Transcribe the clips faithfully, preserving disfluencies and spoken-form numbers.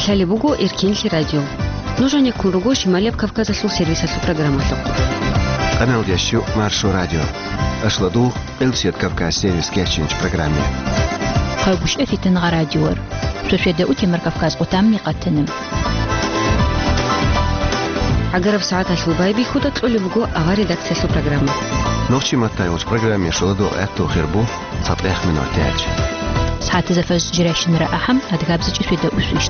Лъалеб буго Эркенлъи радио. Нуж гьанеккун руго Шималияб Кавказалъул сервисалъул программалъухъ. Къаналдящу Маршо радио. Ашладугъ, Элсият Кавказ сервис кечинч программе. Хъагушев Фитингъа радиор. Сосиеда утемар Кавказ къутамни къатанам. ГӀагараб сагӀаталъул байбихьуда кьолеб буго авар редакциялъул программа. Нохчи матайулч программе шоладо гӀатту хирбу. ЦатӀех минутач. СагӀатизафаз жирайщинара ахӀам, адгабзичӀи светда усвищ.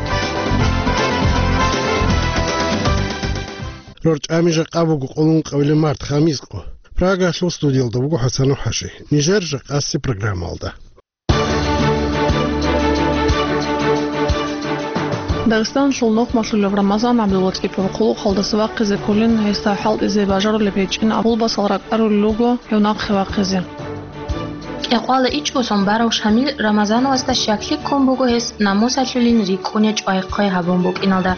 РорчӀами жакъа буго къоло ункъабилеб март, хамис къо. Прагалъул студиялда буго ХӀасан ХӀажи. Нижер жакъаси программалда. Дагъистаналъул нухмалъулев Рамазан ГӀабдуллатӀипов хъулухъалдаса вахъизе кколин, гьесда хӀалтӀизе бажарулеб гьечӀин абулбасал ракӀарулел руго гьев нахъе вахъизе. Кьекъвала ичӀго сон барав Шамил Рамазановасда щаклъи ккун буго гьес намусалъулин рикӀкӀуне чӀвай-хъвай гьабун букӀиналда.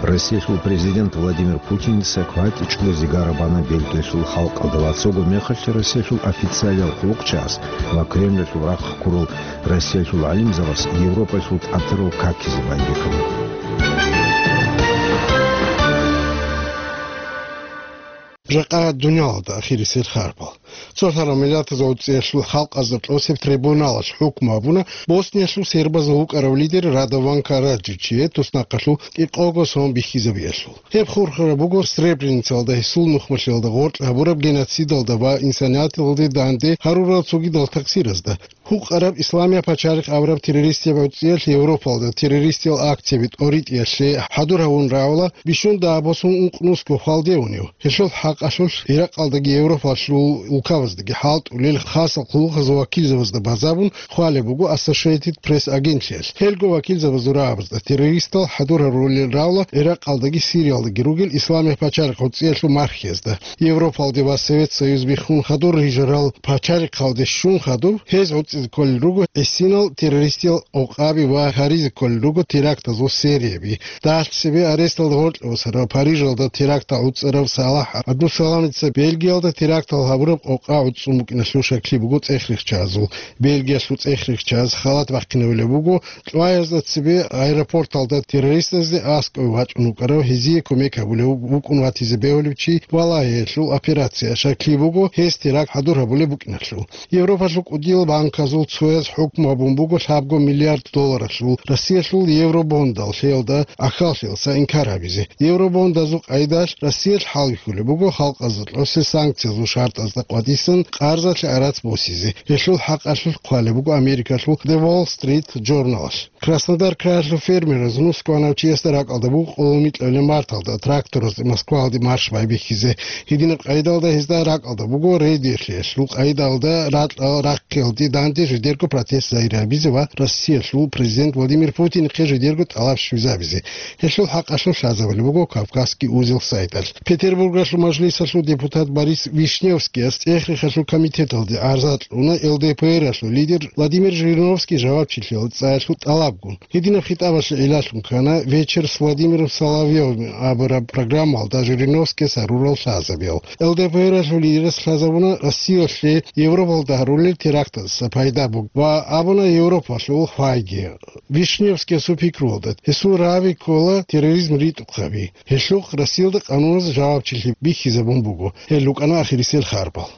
Россиялъул президент Владимир Путиница кватӀичӀго зигара бана Бельгиялъул халкъалда ва цого мехалъ Россиялъул официалиял хъулухъчагӀаз ва Кремлалъул рахъ ккурал Россиялъул гӀалимзабаз Европаялъул тӀатарал какизе байбихьана. Жакъа дуниялалда ахирисел харбал. Цо лъарал миллатазул цӀиялъул халкъазда тӀосеб трибуналалъ хӀукму гьабуна Босниялъул сербазул вукӀарав лидер Радован Караджичие туснахъалъув кӀикъого сон бихьизабиялъул. Гьеб хурхараб буго Сребреницалда гьесул нухмалъиялда гъоркь гьабураб геноцидалда ва инсанияталде данде гьарурал цогидал такъсиразда. Гьукъараб Исламияб пачалихъ абураб террористияб гӀуцӀиялъ Европалда террористиял акцияби тӀоритӀиялъе хӀадур гьавун равала бищун дагьаб босун ункънусго хвалде унев. Гьелъул хӀакъалъулъ Иракъалдаги Европалъул улкабаздаги хӀалтӀулел хасал хъулухъазул вакилзабазда базабун хъвалеб буго Associated Press агентлъиялъ. Гьелго вакилзабазул рагӀабазда террористал хӀадур гьарулел равла Иракъалдаги Сириялдаги ругел Исламияб пачалихъ гӀуцӀиялъул мархиязда. Европалде ва Совет Союз биххун хадур рижарал пачалихъалде щун хадуб, гьез гӀуцӀизе кколел руго гӀисинал террористиял къокъаби ва гьаризе кколел руго терактазул серияби. Дагьалъ цебе аресталда гъоркье босарав Парижалда терактал гӀуцӀарав Салахь Абдусаламица Бельгиялда терактал гьабураб къокъа гӀуцӀун букӀиналъул щаклъи буго цӀехрихьчагӀазул. Бельгиялъул цӀехрихьчагӀаз халат бахъинавулеб буго, кьваязда цебе аэропорталда террористазде аскӀове вачӀун вукӀарав гьезие кумек гьабулев вукӀун ватизе бегьулев чи валагьиялъул операция. Щаклъи буго, гьес теракт хӀадур гьабулеб букӀиналъул. Европалъул кӀудиял банказул цояз хӀукму гьабун буго лъабго миллиард долларалъул Россиялъул евробондал лъеялда ахьаллъиялдаса инкар гьабизе. Евробондазул къайдалъ Россиялъ хӀалбихьулеб буго халкъазда кьосе санкциязул шартӀазда къватӀисан къарзалъе арац босизе. Гьелъул хӀакъалъулъ хъвалеб буго Америкалъул The Wall Street Journal-алъ. Краснодар краялъул фермераз нус кванав чиясда ракӀалда буго къоло микьабилеб марталда тракторазде Москваялде марш байбихьизе. Гьединаб къайдалда гьезда ракӀалда буго рейдерлъиялъул къайдалда ракьал рахъиялде данде жидерго протест загьир гьабизе ва Россиялъул президент Владимир Путинихъе жидерго тӀалаб щвезабизе. Гьелъул хӀакъалъулъ лъазабулеб буго Кавказский узел сайталъ. Петербургалъул мажлисалъул депутат Борис Вишневскияс цӀехрихьалъул комитеталде гӀарза кьуна Л Д П Р-алъул лидер Владимир Жириновский жавабчилъиялда цӀаялъул тӀалабгун. Гьединаб хитӀабалъе гӀиллалъун ккана «Вечер с Владимиром Соловьёвым» абураб программалда Жириновскияс гьарурал лъазабиял. Л Д П Р-алъул лидерас лъазабуна Россиялъе Европалда гьарулел терактаздаса пайда буго ва абуна Европалъул хвайги. Вишневскиясул пикруялда, гьесул раби ккола терроризм ритӀухъаби. Гьелъухъ Россиялда къануналъ жавабчилъи бихьизабун буго. Гьел рукӀана ахирисел харбал.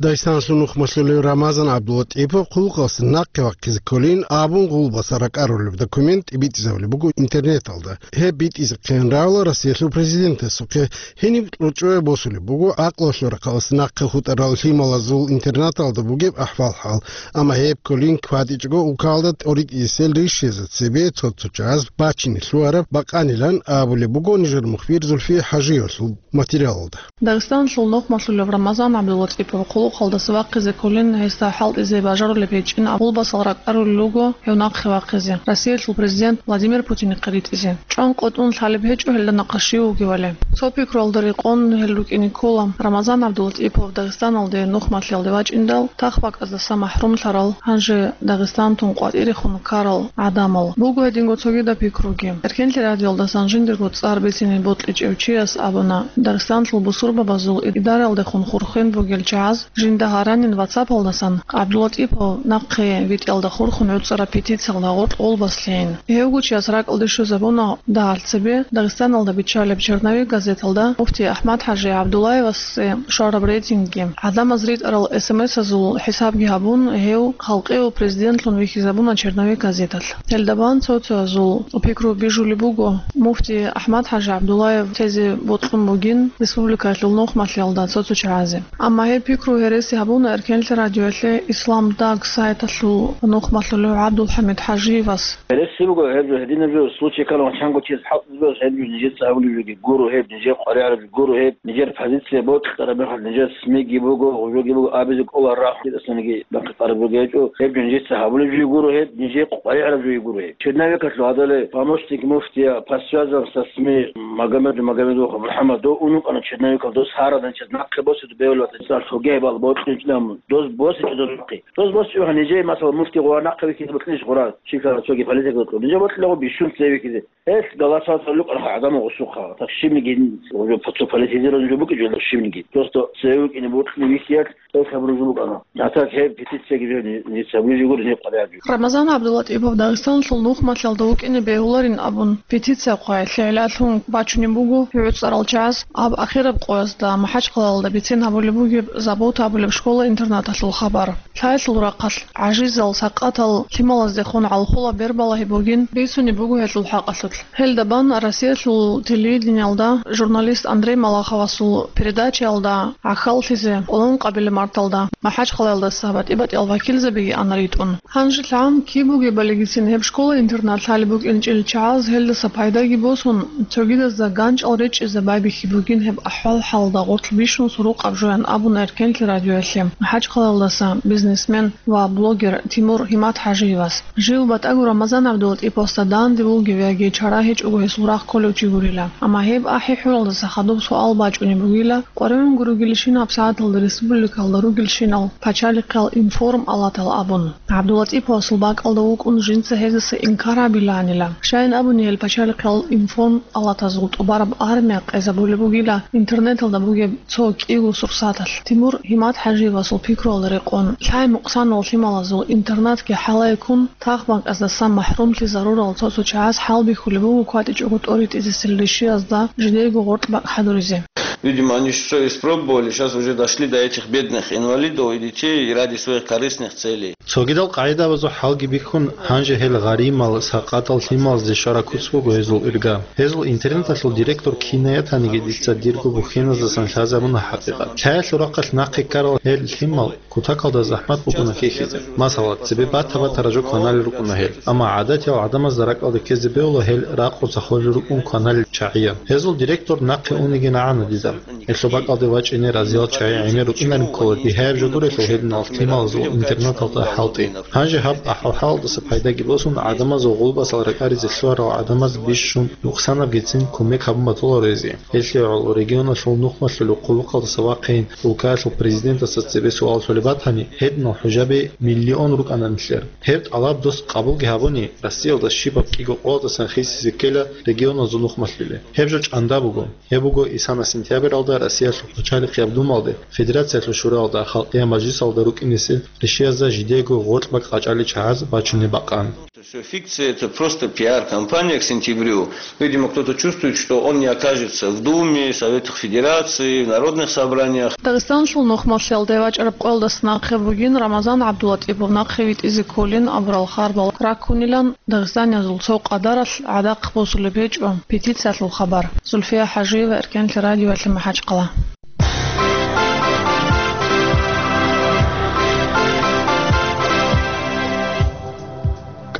Дагъистаналъул нухмалъулев Рамазан ГӀабдуллатӀипов хъулухъалдаса нахъе вахъизе кколин абун гъулбаса ракӀарулеб документ тӀибитӀизабулеб буго интернеталда. Гьеб битӀизехъин равла Россиялъул президентасухъе. Гьениб кьучӀое босулеб буго гӀакълуялъул рахъалдаса нахъе хутӀарал лъималазул интернаталда бугеб ахӀвал-хӀал. Амма гьеб кколин кватӀичӀого улкалда тӀоритӀисел ришиязда цебе цо-цо чагӀаз бачине лъугьараб бакъанилан абулеб буго нижер мухбир Зульфия ХӀажиевалъул материалалда. Дагъистаналъул нухмалъулев Рамазан ГӀабдуллатӀипов хъулухъалдаса вахъизе кколин, гьесда хӀалтӀизе бажарулеб гьечӀин абулбасал ракӀарулел руго гьев нахъе вахъизе, Россиялъул президент Владимир Путинихъе ритӀизе. ЧӀван къотӀун лъалеб гьечӀо гьелда нахъа щив вугевали. Цо пикруялда рекъон гьел рукӀине ккола. Рамазан ГӀабдулатӀипов Дагъистаналде нухмалъиялде вачӀиндал, тахбакӀаздаса махӀрумлъарал, гьанже Дагъистан тун къватӀирехун ккарал гӀадамал. Буго гьединго цогидаб пикруги. Эркенлъи радиоялдасан жиндирго цӀар бицине бокьичӀев чияс абуна, Дагъистаналъул бусурбабазул идаралдехун хурхен бугел чагӀаз Жинда гьаранин WhatsApp-алдасан ГӀабдуллатӀипов нахъе витӀиялда хурхун гӀуцӀараб петициялда гъоркь гъолбас лъейин. Гьев гучияс ракӀалде щвезабуна дагьалъ цебе Дагъистаналда биччалеб «Черновик» газеталда муфти АхӀмад-хӀажи ГӀабдуллаевасе щвараб рейтингги. ГӀадамаз ритӀарал эс эм эс-азул хӀисабги гьабун, гьев халкъияв президентлъун вихьизабуна «Черновик» газеталъ. Гьелда бан цо-цоязул пикру бижулеб буго, муфти АхӀмад-хӀажи ГӀабдуллаев тезе бокьун бугин республикалъул нухмалъиялда цо-цо чагӀазе. Амма гьеб пикру гьереси гьабуна Эркенлъи радиоялъе «Ислам Даг» сайталъул нухмалъулев ГӀабдулхӀамид ХӀажиевас. Гьереси буго гьеб жо, гьединаб жо, случай ккани чанго чияс хӀалтӀизабиялъ гьеб жо нижеца гьабулеб жоги гуро гьеб, нижер къваригӀараб жо гуро гьеб, нижер позиция бокьараб мехалъ нижер СМИ-ги буго, гъужоги буго абизе кӀолареб рахъ, гьединасаниги бахъи къараб бугеб гьечӀо, гьеб жо нижеца гьабулеб жо гуро гьеб, нижер къваригӀараб жо гуро гьеб. Черновикалъул гьадале помощник муфтия по связям со СМИ Магомедов, Магомедов МухӀаммад, дов ун вукӀана Черновикалъ, дос гьарадан чияс нахъе босизе бегьулеб батани, цӀар лъугьа-, гьебал бокьичӀо, дос босичӀо дос нахъе. Дос босичӀо, нижее, масала, муфти гъура нахъе вихьизе бокьилищ гъура, чи ккараб цоги политикалъул. Нижее бокьилаго бищун цеве вихьизе. Гьелъ голосовать гьабулеб букӀана гӀадамал гъусухъа. Так щибниги, уже цо политизированный жо букӀинчӀо щибниги. Просто цеве вукӀине бокьине вихьиялъ гьеб хабар жо букӀана. А так гьеб петицияги жо ни-, ница вижи гури, гьеб къваригӀараб жо. Рамазан ГӀабдуллатӀипов Дагъистаналъул нухмалъиялда вукӀине бегьуларин абун петиция хъвай лъегӀлалъун бачунеб буго гӀуцӀарал чагӀаз. Гьаб ахираб къоязда МахӀачхъалаялда бицин гьабулеб бугеб Забота абулеб школа-интернаталъул хабар. Лъаялъул рахъалъ гӀажизал, сакъатал лъималаздехун гӀалхула бербалагьи бугин бицунеб буго гьелъул хӀакъалъулъ. Гьелда бан Россиялъул телевидениялда журналист Андрей Малаховасул передачаялда гӀахьаллъизе Къуллукъабилеб марталда МахӀачхъалаялдаса батӀи-батӀиял вакилзабиги ана ритӀун. Гьанже лъан киб бугебалигицин гьеб школа-интернат лъалеб букӀинчӀел чагӀаз гьелдаса пайдаги босун, цогидазда ганчӀал речӀчӀизе байбихьи бугин гьеб ахӀвал-хӀалда гъорлъ бищун сурукъаб жоян абуна Эркенлъи радиоялъе МахӀачхъалаялдаса бизнесмен ва блогер Тимур ГьиматхӀажиевас. Жив батӀаго Рамазан ГӀабдулатӀиповасда данде вугев яги чара гьечӀого гьесул рагъ кколев чи гурила. Амма гьеб ахӀи-хӀуралдаса хадуб суал бачӀунеб бугила, къваригӀун гуругелищинаб сагӀаталда республикалда ругелщинал пачалихъал информ алатал абун. ГӀабдулатӀиповасул бакӀалда вукӀун жинца гьезаса инкар гьабилаанила. Щайин абуни гьел пачалихъал информ алатазул тӀубараб армия къезабулеб бугила интернеталда бугеб цо кӀиго сурсаталъ. Тимур ГьиматхӀажиевасул пикруялда рекъон, лъай-мукъсанал лъималазул интернатги хӀалай ккун, тахбанкӀаздасан махӀрумлъизарурал цо-цо чагӀаз хӀалбихьулеб буго кватӀичӀого тӀоритӀизесел ришиязда жидейго гъоркь бакӀ хӀадуризе. Видимо, они что испробовали, сейчас уже дошли до этих бедных инвалидов и детей ради своих корыстных целей. Цогидал къагӀидабазул хӀалги бихьун, гьанже гьел гъаримал, сакъатал лъималазде щвараб куц буго гьезул ирга. Гьезул интернаталъул директор кин ятаниги дица дирго бухьеназдасан лъазабуна хӀакъикъат. Лъаялъул рахъалъ нахъе ккарал гьел лъимал кутакалда захӀмат букӀуна хьихьизе. Масала, цебе бата-бата ражо кваналел рукӀуна гьел. Амма гӀадатиял гӀадамазда ракӀалде ккезе бегьула гьел ракъуца холел рукӀун кваналел чагӀиян. Гьезул директор нахъе унигин гӀана дида. Гьелъул бакӀалде вачӀине разиял чагӀи гӀемер рукӀинарин ккола дигьаяб жо гурелъул гьединал лъималазул интернаталда хӀалтӀи. Гьанже гьаб ахӀвал-хӀалалдаса пайдаги босун, гӀадамазул гъулбасал ракӀаризе лъугьарал гӀадамаз бищун нукъсанабгицин кумек гьабун батула гьезие. Гьелъие гӀоло регионалъул нухмалъулев къуллукъалдаса вахъин, улкаялъул президентасда цебе суал лъолеб батани, гьединал хӀужаби миллион рукӀана нилъер. Гьеб тӀалаб дос къабулги гьабуни, Россиялда щибаб кӀиго къоялдасан хисизе ккела регионазул нухмалъулел. Гьеб жо чӀанда буго. Гьеб буго исана сентябралда Россиялъул пачалихъияб Думалде, Федерациялъул Шуралда, Халкъиял Мажлисалда рукӀинесел ришиязда жидеего гъоркь бакӀ къачӀалел чагӀаз бачунеб бакъан. Это всё фикция, это просто пиар-кампания к сентябрю. Видимо, кто-то чувствует, что он не окажется в Думе, Советах Федерации, в народных собраниях. Дагъистанлъул нухмалъиялда вачӀараб къоялдаса нахъе бугин Рамазан ГӀабдулатӀипов нахъе витӀизе кколин абурал харбал раккунилан Дагъистаниязул цо къадаралъ гӀадахъ босулеб гьечӀо петициялъул хабар. Зульфия ХӀажиева, Эркенлъи радиоялъе МахӀачхъала.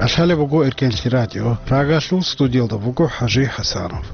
КӀалъалеб буго Эркенлъи радио. Прагалъул студиялда буго ХӀажи ХӀасанов.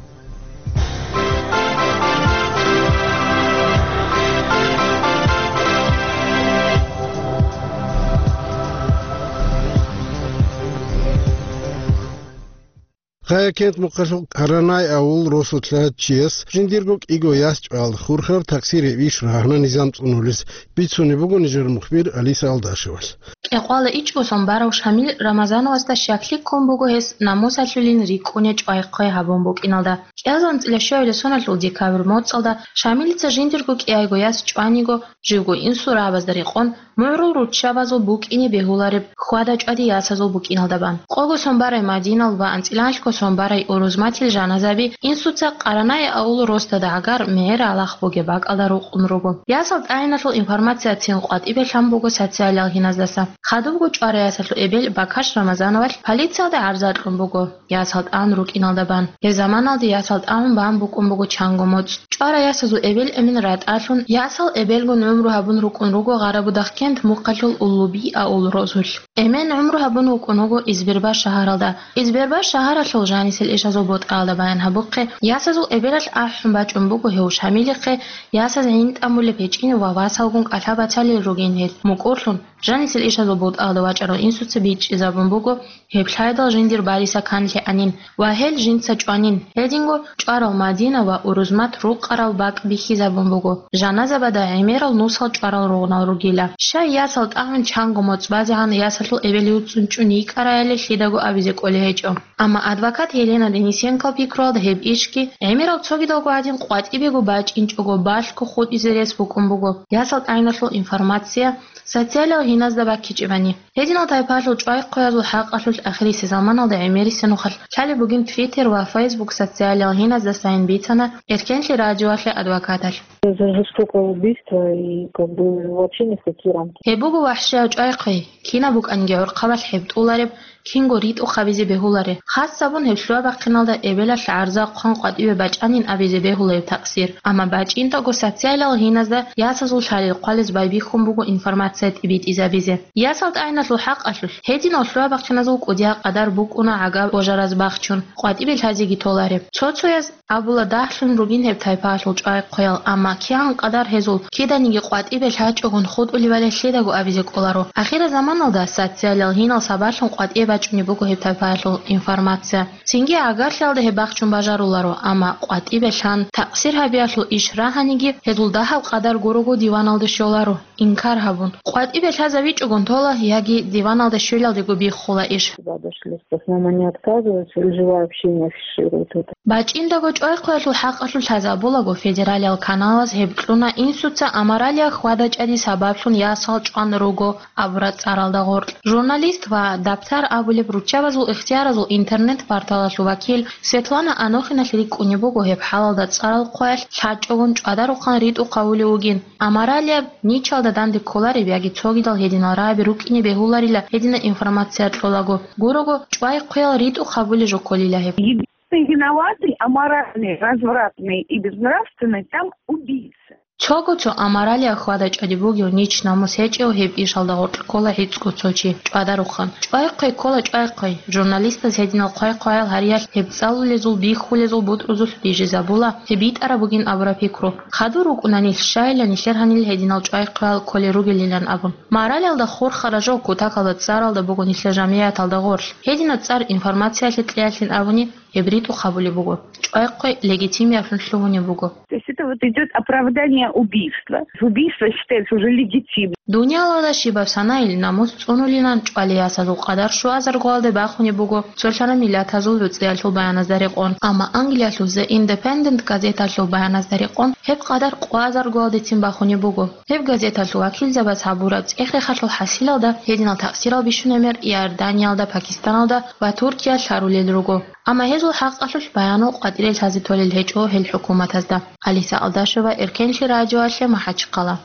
Хъаякент мухъалъул Каранай авул росулъа чияс жиндирго кӀиго яс чӀвал хурхараб таксире иш рагьана низам цӀунулес, бицунеб буго нижер мухбир Алиса Алдашевалъ. Кьекъвала ичӀго сон барав Шамил Рамазановасда щаклъи ккун буго гьес намусалъулин рикӀкӀуне чӀвай-хъвай гьабун букӀиналда. КӀиазанцӀила щуялъул соналъул декабрь моцӀалда Шамилица жиндирго кӀиайго яс чӀваниго, живго инсул рагӀабазда рекъон, мугӀрул руччабазул букӀине бегьулареб хьвада-чӀвади ясазул букӀиналда бан. Къого сон барай Мадинал ва анцӀила анлъго сон барай Урузматил жаназаби инсуца Къаранай аул росдада гӀагар мегӀер алахъ бугеб бакӀалда рукъун руго. Ясал тӀагӀиналъул информацияцин къватӀибе лъан буго социалиял гьиназдаса. Хадубго чӀварай ясалъул эбел Бакаш Рамазановалъ полициялда гӀарза кьун буго. Ясал тӀагӀун рукӀиналда бан. Гьеб заманалде ясал тӀагӀун бан букӀун буго чанго моцӀ. ЧӀварай ясазул эбел-эмен ратӀалъун, ясал эбелгун гӀумру гьабун рукӀун руго Гъарабудахъкент мухъалъул Уллуби аул росулъ. Эмен гӀумру гьабун вукӀун вуго Избербаш шагьаралда. Избербаш шагьаралъул жанисел ишазул ботӀалда баян гьабухъе, ясазул эбелалъ ахӀун бачӀун буго гьев Шамилихъе, ясаз гӀинтӀамулеб гьечӀин ва васалгун кӀалъа-бацалел ругин гьел. МукӀурлъун, жанисел ишазул ботӀалда вачӀарал инсуца бичӀчӀизабун буго, гьеб лъайдал жиндир бариса канлъи гьанин ва гьел жинца чӀванин. Гьединго чӀварал Мадина ва Урузмат рукъарал бакӀ бихьизабун буго, жаназабада гӀемерал нусал чӀварал ругънал ругила. Щай ясал тӀагӀун чанго моцӀ базегӀан ясалъул эбел юцӀцӀун чӀун йикӀараяле лъидаго абизе кӀолей гьечӀо. Амма адвокат Елена Денисенкол пикруялда гьеб ишги гӀемерал цогидалго гӀадин къватӀибего бачӀинчӀого балъго хутӀизе рес букӀун буго. Ясал тӀагӀиналъул информация социалиял гьиназда баккичӀебани. Гьединал тайпаялъул чӀвай-хъваязул хӀакъалъулъ ахирисеб заманалда гӀемерисеб нухалъ лъалеб бугин Twitter ва Facebook социалиял гьиназдасайин бицана Эркенлъи радиоялъе адвокаталъ. Это жестокое убийство и как бы вообще ни в какие рамки. Гьеб буго вахӀшияв чӀвай-хъвей, кинаб букӀанги гӀурхъабалъ гьеб тӀулареб, кинго ритӀухъ гьабизе бегьуларе. Хасабун гьеб лъугьа-бахъиналда эбелалъ гӀарза хъван къватӀибе бачӀанин абизе бегьула гьеб такъсир. Амма бачӀинтӀаго социалиял гьиназда ясазул лъалел хъвалез байбихьун буго информация тӀибитӀизабизе. Ясал тӀагӀиналъул хӀакъалъулъ гьединал лъугьа-бахъиназул кӀудиял къадар букӀуна гӀагаб божараз бахчун, къватӀибе лъазеги толареб. Цо-цояз абула дагьлъун ругин гьеб тайпаялъул чӀвай-хъваял, амма кигӀан къадар гьезул киданиги къватӀибе лъачӀогун хутӀулебали лъидаго абизе кӀоларо. Ахирзаманалда социалиял гьинал сабаблъун къватӀибе бачӀунеб буго гьеб тайпаялъул информация. Цинги гӀагарлъиялда гьеб бахчун бажаруларо, амма къватӀибе лъан такъсир гьабиялъул иш рагьаниги гьезул дагьаб къадар гурого диваналде щоларо. Инкар гьабун, къватӀибе лъазавичӀогун тола яги диваналда щвелалдего биххула иш. Сюда дошли. В основном они отказываются или живое общение афишируют это. БачӀиндаго чӀвай-хъваялъул хӀакъалъулъ лъазабулаго федералиял каналаз гьеб кьуна инсуца аморалия хьвада-чӀвади сабаблъун ясал чӀван руго абураб цӀаралда гъоркь. Журналист ва Даптар абулеб руччабазул ихтияразул интернет-порталалъул вакил Светлана Анохиналъ рикӀкӀунеб буго гьеб хӀалалда цӀарал хъваялъ лъачӀогун чӀвадарухъан ритӀухъ гьавулев вугин. Аморалияб, ничалда данде кколареб яги цогидал гьединал рагӀаби рукӀине бегьуларила гьединаб информация кьолаго. Гурого, чӀвай-хъвеял ритӀухъ гьабулеб жо кколила гьеб. Единственный виноватый, аморальный, развратный и безнравственный там убийца. Цого цо аморалияб хьвада-чӀвади бугев, нич намус гьечӀев гьеб ишалда гъоркь ккола гӀицӀго цо чи, чӀвадарухъан. ЧӀвай-хъвей ккола чӀвай-хъвей. Журналистаз гьединал хъвай-хъваял гьариялъ гьеб цӀалулезул, бихьулезул бутӀрузулъ бижизабула, гьеб битӀараб бугин абураб пикру. Хадур рукӀуна нилъ, щайила нилъер гьанил гьединал чӀвай-хъвеял кколел ругелилан абун. Моралиялда хурхараб жо кутакалда цӀаралда буго нилъер жамигӀаталда гъорлъ. Гьединаб цӀар информациялъе кьеялъин абуни, гьеб ритӀухъ гьабулеб буго, чӀвай-хъвей легитимиявлъун лъугьунеб буго. То есть это вот идёт оправдание убийства. Убийство считается уже легитимным. Дуниялалда щибаб санайил намус цӀунулилан чӀвалей ясазул къадар щуазаргоялде бахунеб буго, цолъана миллатазул гӀуцӀиялъул баяназда рекъон. Амма Англиялъул The Independent газеталъул баяназда рекъон гьеб къадар къоазаргоялдецин бахунеб буго. Гьеб газеталъул вакилзабаз гьабураб цӀехехалъул хӀасилалда гьединал такъсирал бищунеб мер Иорданиялда, Пакистаналда ва Туркиялда лъарулел руго. Амма гьезул хӀакъалъулъ баянал къватӀире лъазе толел гьечӀо гьел хӀукуматазда. Алиса Алдашева, Эркенлъи радиоялъе, МахӀачхъала.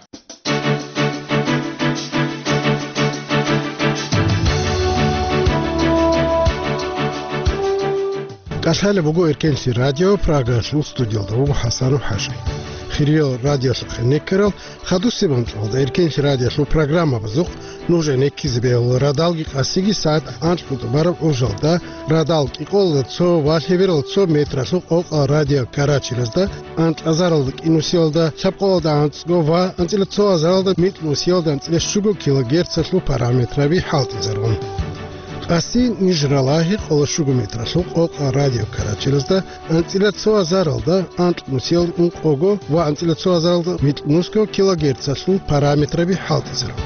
КӀалъалеб буго Эркенлъи радио, Прагалъул студиялда вуго ХӀасанов ХӀажи. Хириял радиолъухъе некерал, хадусеб анкьалда Эркенлъи радиолъул программабазухъ нуж гӀенеккизе бегьула радалги къасиги сагӀат анкьго тӀубараб гӀужалда, радал кӀикъоялда цо ва лъебералда цо метралъул къокъал радио карачелазда, анкьазаралда кӀинусиялда лъабкъоялда анцӀго ва анцӀила цо азаралда микьнусиялда анцӀила щуго килогерцалъул параметраби хӀалтӀизарун. Къасин ниж ралагьи къоло щуго метралъул къокъа радиокараджиразда анцӀила цо азаралда анкьнусиял ункъого ва анцӀила цо азаралда микьнусго килогерцалъул параметраби хӀалтӀизарун.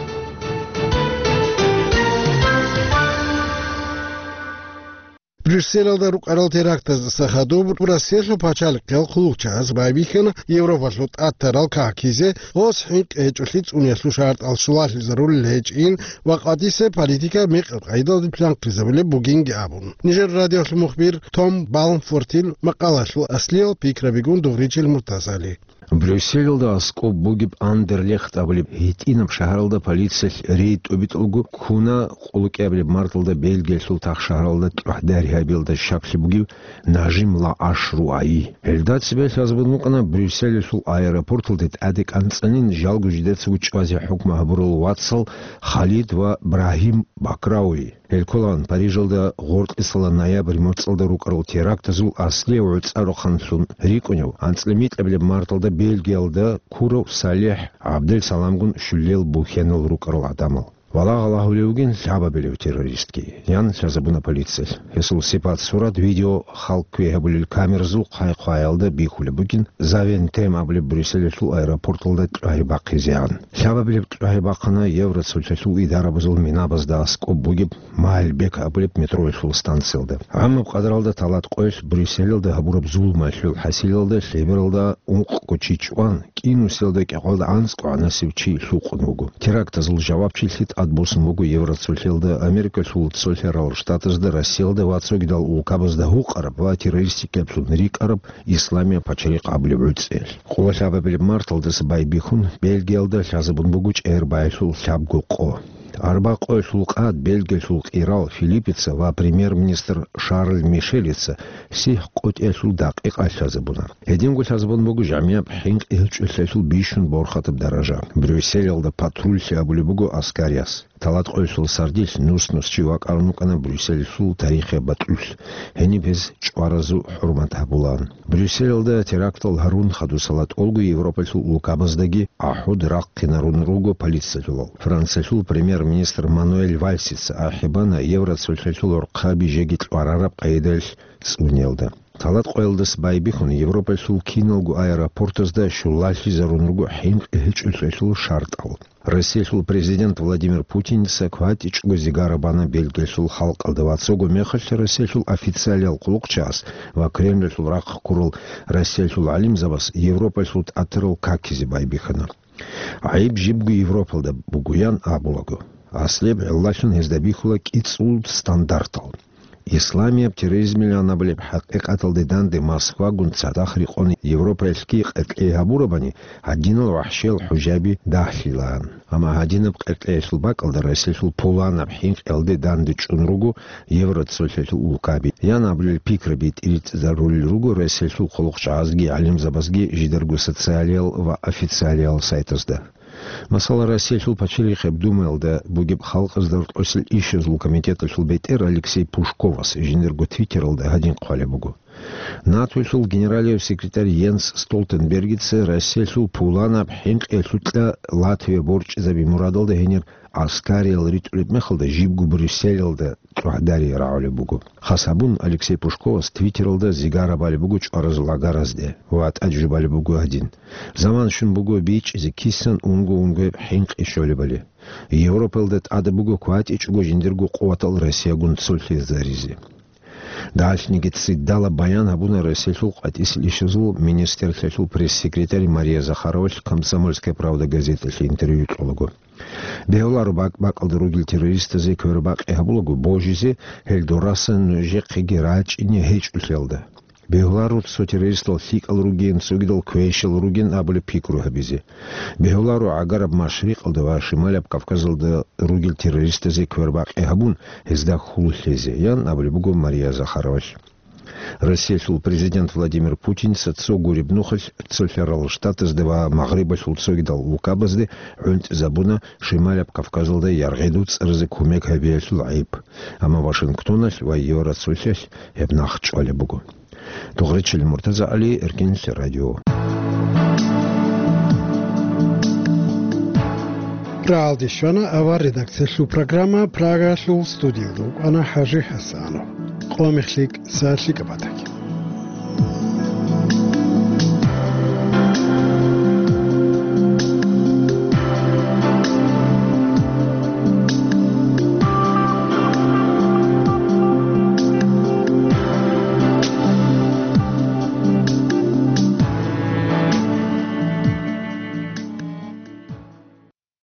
Брюсселалда рукӀарал терактаздаса хадуб Россиялъул пачалихъиял хъулухъчагӀаз байбихьана Европалъул тӀад тарал какизе, гъос хӀинкъи гьечӀолъи цӀуниялъул шартӀал щулалъизарулел гьечӀин ва къватӀисеб политика мекъаб къайдалде планкъизабулеб бугинги абун. Нижер радиолъул мухбир Том Балмфортил макъалалъул аслиял пикрабигун дугъричил Муртазали. Брюсселалда аскӀоб бугеб Андерлехт абулеб гьитӀинаб шагьаралда полициялъ рейд тӀубитӀулго ккуна къуллукъиабилеб марталда Бельгиялъул тахшагьаралда тӀухьдарихьабиялда щаклъи бугев Нажим Лааш Руаи. Гьелда цебе лъазабун букӀана Брюсселалъул аэропорталде тӀаде кӀанцӀанин жалго жидецаго чӀвазе хӀукму гьабурал вацал Халид ва Брагьим Бакрауи. Гьел кколаан Парижалда гъоркьисала ноябрь моцӀалда рукӀарал терактазул аслияв гӀуцӀарухъанлъун рикӀкӀунев, анцӀила микьабилеб марталда Бельгиялда ккурав СалихӀ ГӀабдел-Саламгун щулиял бухьенал рукӀарал гӀадамал. Валагьал агьулев вугин лъабабилев террористги, ян лъазабуна полициялъ. Гьесул сипат-сурат видео халкъ квей гьабулел камеразул хъай-хъваялда бихьулеб бугин, Завентем абулеб Брюсселалъул аэропорталда кьвагьи бахъизегӀан. Лъабабилеб кьвагьи бахъана Евроцолъалъул идарабазул минабазда аскӀоб бугеб Мальбек абулеб метроялъул станциялда. ГӀамаб къадаралда талат къоялъ Брюсселалда гьабураб зулумалъул хӀасилалда лъебералда ункъго чи чӀван, кӀинусиялда кӀикъоялда анцӀгогӀанасев чи лъукъун вуго. Терактазул жавабчилъи тӀадбуссун буго Евроцолъиялда, Америкалъул Цолъарал Штатазда, Россиялда ва цогидал улкабазда гьукъараб ва террористикаблъун рикӀкӀараб Исламияб пачалихъ абулеб гӀуцӀиялъ. Къоло лъабабилеб марталдаса байбихьун, Бельгиялда лъазабун буго чӀегӀер баялъул лъабго къо. Арба къоялъул къад Бельгиялъул къирал Филиппица ва премьер-министр Шарль Мишелица сихӀ къотӀиялъул дакъикъа лъазабуна. Гьединго лъазабун буго жамияб хӀинкъи гьечӀолъиялъул бищун борхатаб даража. Брюсселалда патруллъи абулеб буго аскарияс. Талат къоялъул сардилъ нус-нус чи вакӀарун вукӀана Брюсселалъул тарихияб батӀулъ. Гьениб гьез чӀваразул хӀурмат гьабулаан. Брюсселалда терактал гьарун хадусала тӀолго Европалъул улкабаздаги ахӀуд рахъинарун руго полициялъулал. Франциялъул премьер-министр Мануэль Вальсица ахӀи бана Евроцолъалъул гӀорхъаби жеги кьварараб къайдаялъ цӀуниялда. Талат къоялдаса байбихьун, Европалъул киналго аэропортазда щулалъизарун руго хӀинкъи гьечӀолъиялъул шартӀал. Россиялъул президент Владимир Путинца кватӀичӀого зигара бана Бельгиялъул халкъалда ва цого мехалъ Россиялъул официалиял хъулухъчагӀаз ва Кремльалъул рахъ ккурал Россиялъул гӀалимзабаз Европалъул тӀатарал какизе байбихьана. ГӀайиб жибго Европалда бугоян абулаго, аслияб гӀиллалъун гьезда бихьула кӀицӀул стандартал. Исламияб терроризмилан абулеб хӀакъикъаталде данде Москвагун цадахъ рекъон Европаялъги къеркьей гьабурабани, гьадинал вахӀшиял хӀужаби дагьлъилаан. Амма гьадинаб къеркьеялъул бакӀалда Россиялъул пуланаб хӀинкъиялде данде чӀун руго Евроцолъалъул улкаби. Ян абулел пикраби тӀиритӀизарулел руго Россиялъул хъулухъчагӀазги гӀалимзабазги жидарго социалиял ва официалиял сайтазда. Масала, Россиялъул пачалихъеб Думаялда бугеб халкъазда рокьосел ишазул комитеталъул бетӀер Алексей Пушковас жиндирго твиттералда гьадин хъвалеб буго: НАТОялъул генералияв секретарь Йенс Столтенбергица Россиялъул пуланаб хӀинкъиялъукьа Латвия борчӀизаби мурадалда гьенир гӀаскариял ритӀулеб мехалда жибго Брюсселалда тӀухьдарие рагӀулеб буго. Хас гьабун, Алексей Пушковас твиттералда зигара балеб буго чӀваразул агаразде ва тӀад жубалеб буго гьадин: «Заман щун буго бичӀчӀизе кисан унго-унгояб хӀинкъи щолебали. Европаялда тӀада буго кватӀичӀого жиндирго къуватал Россиягун цолъизаризе». Дагьалъниги цӀидала баян гьабуна Россиялъул къватӀисел ишазул министрлъиялъул пресс-секретарь Мария Захаровалъ «Комсомольская правда» газеталъе интервью кьолаго. Бегьуларо бакӀ-бакӀалда ругел террористазе квербакъи гьабулаго божизе, гьел дорасан нужехъеги рачӀине гьечӀолъиялда. Бегьуларо цо террористал лъикӀал ругин, цогидал квешал ругин абулеб пикру гьабизе. Бегьуларо гӀагараб Машрикъалда ва Шималаб Кавказалда ругел террористазе квербакъи гьабун, гьезда хьул лъезе, ян абулеб буго Мария Захаровалъ. Россиялъул президент Владимир Путинца цо гуреб нухалъ Цолъарал Штатазда ва Магърибалъул цогидал улкабазде гӀунтӀизабуна Шималаб Кавказалда яргъи дуцӀаразе кумек гьабиялъул гӀайиб. Амма Вашингтоналъ ва Евроцолъалъ гьеб нах чӀвалеб буго. Дугъричил МуртазагӀали, Эркинлъи радио. Рагьалде щвана авар редакциялъул программа, Прагаялъул студиялда вукӀана ХӀажи ХӀасанов. Къо мехлъи кӀиса лъикӀаб батаги.